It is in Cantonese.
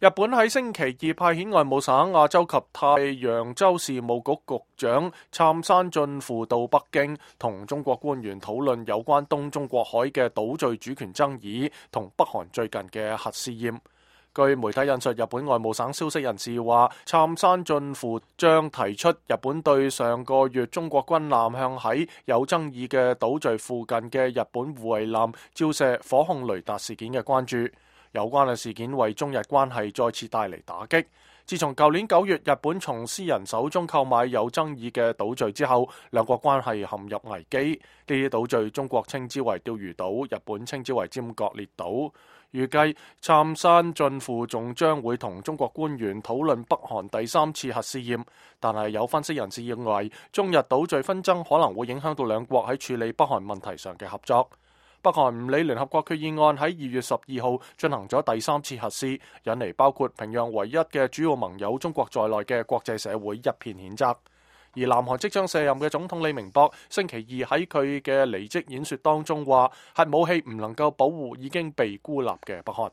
日本喺星期二派遣外務省亞洲及太陽洲事務局局長杉山進輔到北京，同中國官員討論有關東中國海嘅島嶼主權爭議同北韓最近嘅核試驗。據媒體引述日本外務省消息人士話，杉山進輔將提出日本對上個月中國軍艦向喺有爭議嘅島嶼附近嘅日本護衛艦照射火控雷達事件嘅關注。有關嘅事件為中日關係再次帶嚟打擊。自從舊年9月日本從私人手中購買有爭議嘅島嶼之後，兩國關係陷入危機。呢啲島嶼中國稱之為釣魚島，日本稱之為尖閣列島。預計杉山進輔仲將會同中國官員討論北韓第3次核試驗，但係有分析人士認為，中日島嶼紛爭可能會影響到兩國喺處理北韓問題上嘅合作。北韓唔理聯合國決議案喺2月12號進行咗第3次核試，引嚟包括平壤唯一嘅主要盟友中國在內嘅國際社會一片譴責。而南韓即將卸任嘅總統李明博星期二喺佢嘅離職演說當中話，核武器唔能夠保護已經被孤立嘅北韓。